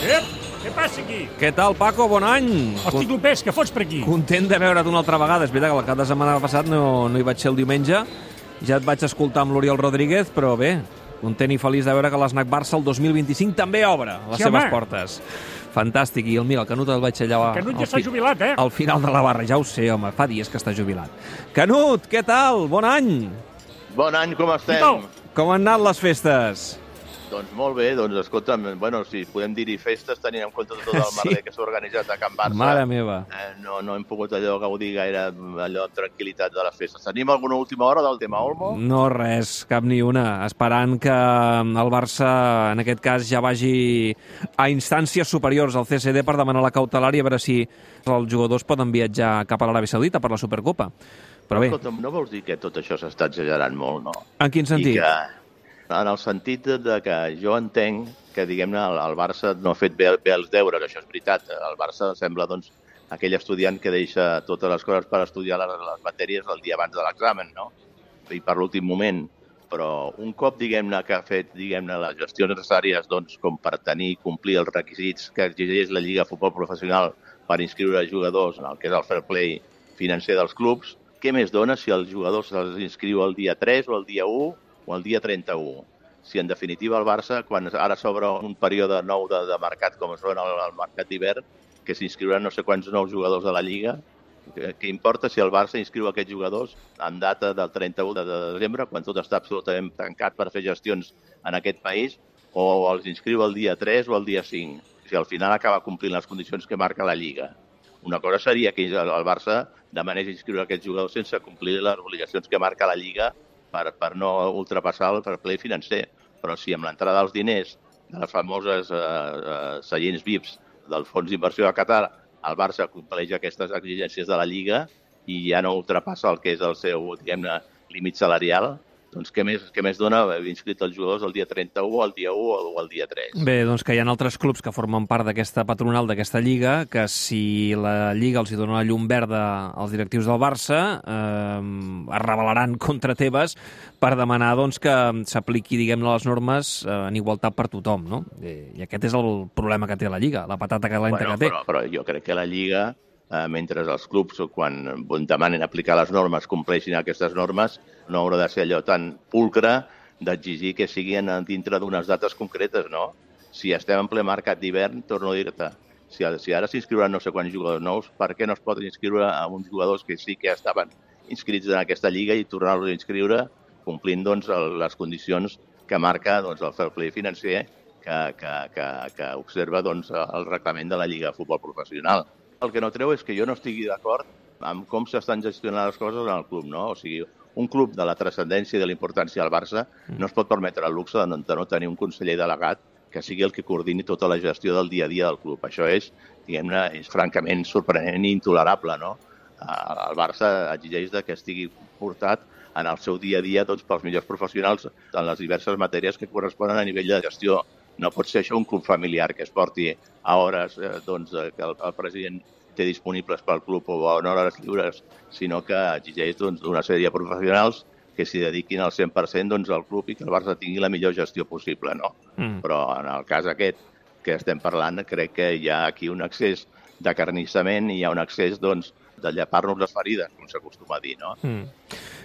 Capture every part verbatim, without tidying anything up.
Ep, què passa aquí? Què tal, Paco? Bon any! Hosti, Clopés, què fots per aquí? Content de veure't una altra vegada. És veritat que el cap de setmana passat no, no hi vaig ser el diumenge. Ja et vaig escoltar amb l'Oriol Rodríguez, però bé, content i feliç de veure que l'Snac Barça el dos mil vint-i-cinc també obre les Sí, seves home. portes. Fantàstic. I el, mira, el Canut el vaig allà... El Canut ja al s'ha fi- jubilat, eh? Al final de la barra, ja ho sé, home. Fa dies que està jubilat. Canut, què tal? Bon any! Bon any, com estem? tal? Com han anat les festes? Doncs molt bé, doncs escolta'm, bueno, si podem dir-hi festes, tenint en compte tot el Sí. merder que s'ha organitzat a Can Barça. Mare meva. Eh, no, no hem pogut allò gaudir gaire allò amb tranquil·litat de les festes. Tenim alguna última hora del tema Olmo? No, res, cap ni una. Esperant que el Barça, en aquest cas, ja vagi a instàncies superiors al C C D per demanar la cautelar i a veure si els jugadors poden viatjar cap a l'Aràbia Saudita per la Supercopa. Però bé, Escolta'm, no vols dir que tot això s'està exagerant molt, no? en quin sentit? I que, en el sentit de que jo entenc que, diguem-ne, el, el Barça no ha fet bé, bé els deures, això és veritat. El Barça sembla, doncs, aquell estudiant que deixa totes les coses per estudiar les, les matèries el dia abans de l'examen, no? I per l'últim moment. Però un cop, diguem-ne, que ha fet, diguem-ne, les gestions necessàries, doncs, com per tenir i complir els requisits que exigeix la Lliga de Futbol Professional per inscriure jugadors en el que és el fair play financer dels clubs, què més dona si els jugadors se'ls inscriu el dia tres o el dia u o el dia trenta-u? Si, en definitiva, el Barça, quan ara s'obre un període nou de, de mercat, com es veu el, el mercat d'hivern, que s'inscriuran no sé quants nous jugadors de la Lliga, què, què importa si el Barça inscriu aquests jugadors en data del trenta-u de desembre, quan tot està absolutament tancat per fer gestions en aquest país, o els inscriu el dia tres o el dia cinc, si al final acaba complint les condicions que marca la Lliga. Una cosa seria que el Barça demanés inscriure aquests jugadors sense complir les obligacions que marca la Lliga per, per no ultrapassar el fair play financer. Però si amb l'entrada dels diners de les famoses eh, eh, seients V I Ps del Fons d'Inversió de Qatar, el Barça compleix aquestes exigències de la Lliga i ja no ultrapassa el que és el seu, diguem-ne, límit salarial, doncs què més, què més dona haver inscrit els jugadors el dia trenta-u, el dia u o el dia tres? Bé, doncs que hi ha altres clubs que formen part d'aquesta patronal, d'aquesta Lliga, que si la Lliga els hi dona la llum verda als directius del Barça, eh, es rebel·laran contra Tebas per demanar doncs, que s'apliqui, diguem-ne, les normes eh, en igualtat per tothom, no? I aquest és el problema que té la Lliga, la patata calenta bueno, que té. Però, però jo crec que la Lliga, eh, mentre els clubs, quan demanen aplicar les normes, compleixin aquestes normes, no haurà de ser allò tan pulcre d'exigir que siguin dintre d'unes dates concretes, no? Si estem en ple mercat d'hivern, torno a dir-te, si, si ara s'inscriuran no sé quants jugadors nous, per què no es poden inscriure a uns jugadors que sí que estaven inscrits en aquesta lliga i tornar-los a inscriure complint doncs, el, les condicions que marca doncs, el fair play financer que, que, que, que observa doncs, el reglament de la Lliga de Futbol Professional. El que no treu és que jo no estigui d'acord amb com s'estan gestionant les coses en el club, no? O sigui, un club de la transcendència i de la importància del Barça no es pot permetre el luxe de no, de no tenir un conseller delegat que sigui el que coordini tota la gestió del dia a dia del club. Això és, diguem-ne, és francament sorprenent i intolerable, no? El Barça exigeix que estigui portat en el seu dia a dia doncs, pels millors professionals en les diverses matèries que corresponen a nivell de gestió. No pot ser això un club familiar que es porti a hores eh, doncs, que el, el president té disponibles pel club o a hores lliures, sinó que exigeix doncs, una sèrie de professionals que s'hi dediquin al cent per cent doncs, al club i que el Barça tingui la millor gestió possible, no? Mm. Però en el cas aquest que estem parlant, crec que hi ha aquí un excés d'acarnissament i hi ha un excés doncs, de llepar-nos les ferides, com s'acostuma a dir, no? Mm.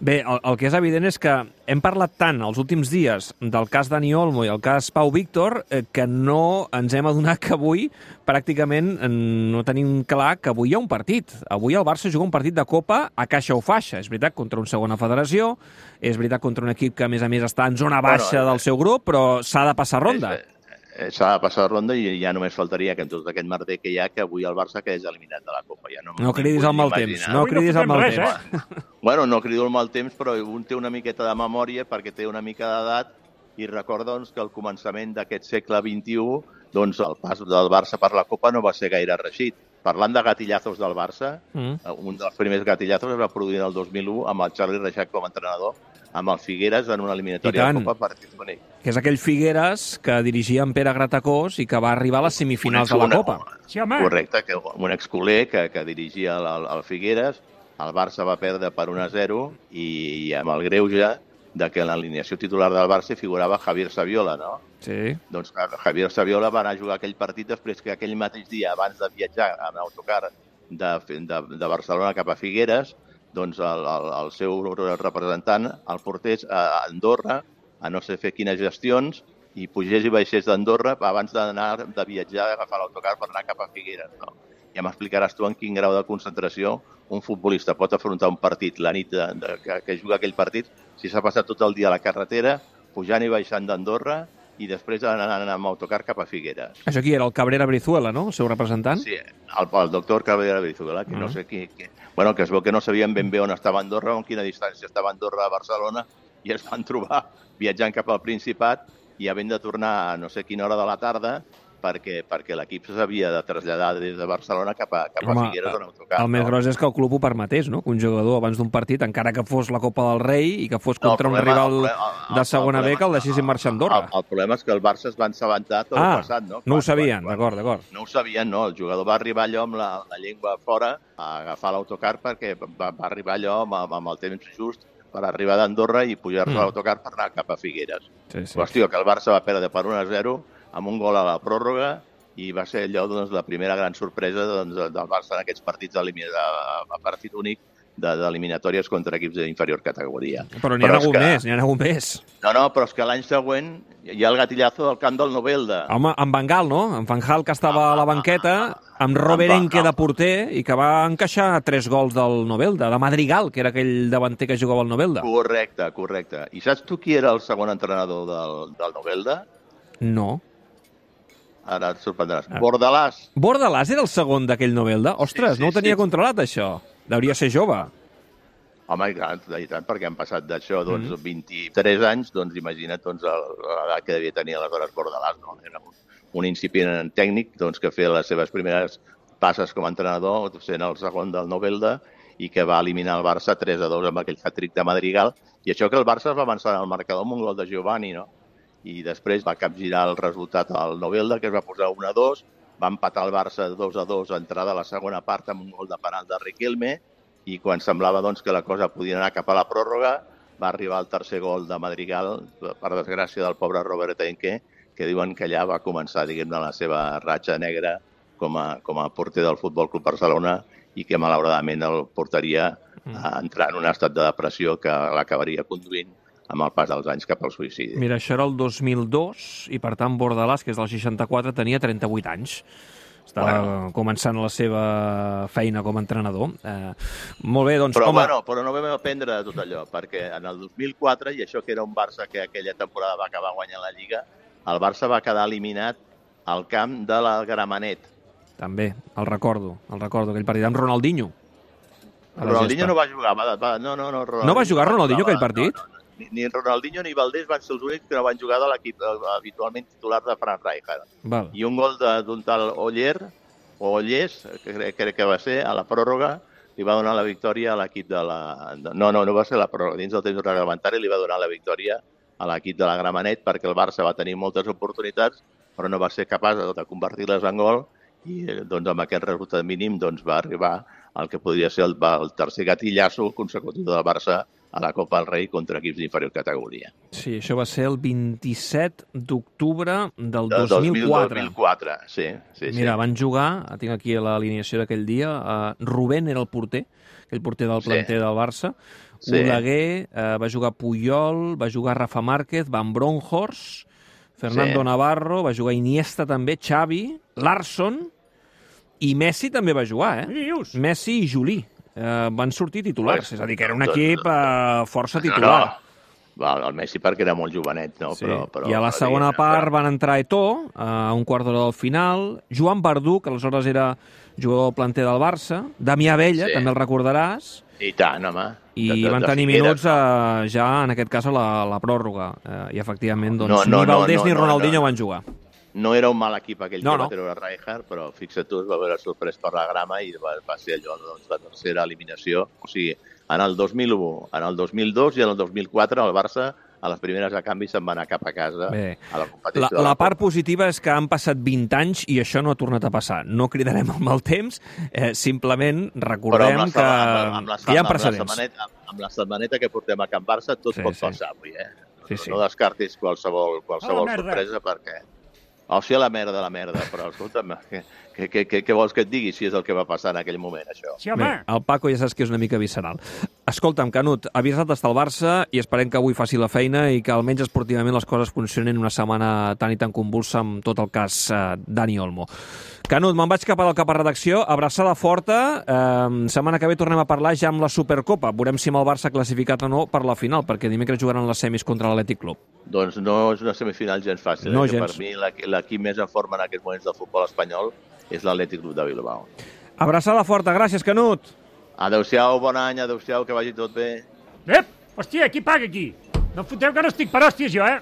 Bé, el, el que és evident és que hem parlat tant els últims dies del cas Dani Olmo i el cas Pau Víctor eh, que no ens hem adonat que avui pràcticament no tenim clar que avui hi ha un partit. Avui el Barça juga un partit de Copa a caixa o faixa. És veritat, contra una segona federació, és veritat, contra un equip que a més a més està en zona baixa bueno, del seu grup, però s'ha de passar ronda. És, S'ha de passar ronda i ja només faltaria que en tot aquest merder que hi ha que avui el Barça quedés eliminat de la Copa. Ja no no cridis al mal temps. No cridis al mal temps. Eh? Bueno, no crido al mal temps, però un té una miqueta de memòria perquè té una mica d'edat i recorda doncs, que al començament d'aquest segle vint-i-u doncs, el pas del Barça per la Copa no va ser gaire reeixit. Parlant de gatillazos del Barça, mm. un dels primers gatillazos es va produir el dos mil u amb el Charlie Reixac com a entrenador, amb el Figueres en una eliminatòria de Copa partit bonic. Que és aquell Figueres que dirigia en Pere Gratacós i que va arribar a les semifinals de la Copa. Sí, home. Correcte, que un exculer que, que dirigia el, el Figueres, el Barça va perdre per un a zero i, i amb el greuge de que en l'alineació titular del Barça figurava Javier Saviola, no? Sí. Doncs Javier Saviola va anar a jugar aquell partit després que aquell mateix dia, abans de viatjar en autocar de, de, de Barcelona cap a Figueres, doncs el, el, el seu representant el portés a Andorra a no sé fer quines gestions i pugés i baixés d'Andorra abans d'anar de viatjar, d'agafar l'autocar per anar cap a Figueres, no? Ja m'explicaràs tu en quin grau de concentració un futbolista pot afrontar un partit la nit de, de, que, que juga aquell partit si s'ha passat tot el dia a la carretera, pujant i baixant d'Andorra i després anant amb autocar cap a Figueres. Això qui era? El Cabrera Brizuela, no? El seu representant? Sí, el, el doctor Cabrera Brizuela, que uh -huh. no sé qui... qui bueno, que es veu que no sabien ben bé on estava Andorra o en quina distància estava Andorra a Barcelona i es van trobar viatjant cap al Principat i havent de tornar a no sé quina hora de la tarda perquè, perquè l'equip s'havia de traslladar des de Barcelona cap a, cap a Home, Figueres en autocar. El no? més gros és que el club ho permetés, no? Que un jugador abans d'un partit, encara que fos la Copa del Rei i que fos contra no, problema, un rival el problema, el, de segona B, que el deixessin marxar a Andorra. El, el problema és que el Barça es va assabentar tot ah, el passat, no? Quan, no ho sabien, quan, d'acord, d'acord. No ho sabien, no. El jugador va arribar allò amb la, la llengua fora a agafar l'autocar perquè va, va arribar allò amb, amb el temps just per arribar d'Andorra i pujar-se mm. a l'autocar per anar cap a Figueres. Sí, sí. Qüestió que el Barça va perdre per un a zero amb un gol a la pròrroga i va ser allò doncs, la primera gran sorpresa doncs, del Barça en aquests partits a, a partit únic d'eliminatòries contra equips d'inferior categoria. Però n'hi ha hagut que... més, n'hi ha hagut més. No, no, però és que l'any següent hi ha el gatillazo del camp del Novelda. Home, amb Van Gaal, no? En Van Gaal, que estava ah, a la banqueta, amb Robert Enke de porter i que va encaixar tres gols del Novelda, de Madrigal, que era aquell davanter que jugava al Novelda. Correcte, correcte. I saps tu qui era el segon entrenador del, del Novelda? No. Ara et sorprendràs. Ah. Bordalàs. Bordalàs era el segon d'aquell Novelda? Ostres, sí, sí, no ho tenia sí. controlat, això. Deuria ser jove. Home, i tant, i tant, perquè han passat d'això doncs, mm. vint-i-tres anys, doncs imagina't doncs, l'edat que devia tenir aleshores Bordalàs. No? Era un, un incipient tècnic doncs, que feia les seves primeres passes com a entrenador, sent el segon del Novelda, i que va eliminar el Barça tres a dos amb aquell hat-trick de Madrigal. I això que el Barça es va avançar al marcador amb un gol de Giovanni, no? I després va capgirar el resultat al Novelda, que es va posar un a dos, va empatar el Barça dos a dos a entrada a la segona part amb un gol de penal de Riquelme, i quan semblava doncs, que la cosa podia anar cap a la pròrroga, va arribar el tercer gol de Madrigal, per desgràcia del pobre Robert Enke, que diuen que allà va començar diguem-ne la seva ratxa negra com a, com a porter del Futbol Club Barcelona i que malauradament el portaria a entrar en un estat de depressió que l'acabaria conduint amb el pas dels anys cap al suïcidi. Mira, això era el dos mil dos i, per tant, Bordalàs, que és del seixanta-quatre, tenia trenta-vuit anys. Estava bueno. començant la seva feina com a entrenador. Eh, molt bé, doncs... Però, com a... bueno, però no vam aprendre de tot allò, perquè en el dos mil quatre, i això que era un Barça que aquella temporada va acabar guanyant la Lliga, el Barça va quedar eliminat al camp de la Gramenet. També, el recordo, el recordo, aquell partit amb Ronaldinho. Ronaldinho no va jugar. Va, va, no, no, no, no va jugar Ronaldinho aquell partit? No, no, no. Ni, ni Ronaldinho ni Valdés van ser els únics que no van jugar de l'equip habitualment titular de Frank Rijkaard. Val. I un gol d'un tal Oller, o Ollers, que crec, crec que va ser, a la pròrroga, li va donar la victòria a l'equip de la... No, no, no va ser la pròrroga. Dins del temps reglamentari li va donar la victòria a l'equip de la Gramenet perquè el Barça va tenir moltes oportunitats, però no va ser capaç de convertir-les en gol i doncs, amb aquest resultat mínim doncs, va arribar al que podria ser el, el tercer gatillasso consecutiu del Barça a la Copa del Rei contra equips d'inferior categoria. Sí, això va ser el vint-i-set d'octubre del dos mil quatre. dos mil quatre, sí. sí Mira, sí. van jugar, tinc aquí l'alineació d'aquell dia, uh, Rubén era el porter, aquell porter del planter sí. del Barça, sí. Oleguer, uh, va jugar Puyol, va jugar Rafa Márquez, Van Bronckhorst, Fernando sí. Navarro, va jugar Iniesta també, Xavi, Larsson, i Messi també va jugar, eh? Messi i Juli. Uh, van sortir titulars, pues, és a dir, que era un equip uh, força titular. No, no. El Messi perquè era molt jovenet, no? Sí. Però, però, I a la segona però... part van entrar Eto'o, a un quart d'hora del final, Joan Verdú, que aleshores era jugador del planter del Barça, Damià Bella, sí. també el recordaràs. I tant, home. I de, de, van tenir de minuts uh, ja, en aquest cas, a la, la pròrroga. Uh, I, efectivament, doncs, no, no, ni Valdés no, no, ni Ronaldinho no, no. van jugar. No era un mal equip aquell no, que va no. treure Rijkaard, però fixa't tu, es va veure sorprès per la grama i va, va ser allò, doncs, la tercera eliminació. O sigui, en el dos mil u, en el dos mil dos i en el dos mil quatre el Barça a les primeres de canvi se'n va anar cap a casa Bé. a la competició. La, la part positiva és que han passat vint anys i això no ha tornat a passar. No cridarem amb el temps, eh, simplement recordem la, que, amb, amb la, que hi ha amb precedents. La setmaneta, amb la setmaneta que portem a Can Barça tot Sí, pot sí. passar avui, eh? Sí, sí. No descartis qualsevol, qualsevol A la merda. sorpresa perquè... O sigui, a la merda, la merda, però escolta'm, què, què, què, què vols que et digui si és el que va passar en aquell moment, això? Sí, home. Bé, el Paco ja saps que és una mica visceral. Escolta'm, Canut, avisat d'estar al Barça i esperem que avui faci la feina i que almenys esportivament les coses funcionin una setmana tan i tan convulsa amb tot el cas eh, Dani Olmo. Canut, me'n vaig cap al cap a redacció, abraçada forta, eh, setmana que ve tornem a parlar ja amb la Supercopa, veurem si amb el Barça classificat o no per la final, perquè dimecres jugaran les semis contra l'Atlètic Club. Doncs no és una semifinal gens fàcil. No eh? gens. Per mi l'equi- l'equip més en forma en aquests moments del futbol espanyol és l'Atlètic Club de Bilbao. Abraçada forta, gràcies, Canut. Adéu-siau, bon any, adéu-siau, que vagi tot bé. Ep, hòstia, qui paga aquí? No em foteu que no estic per hòsties jo, eh?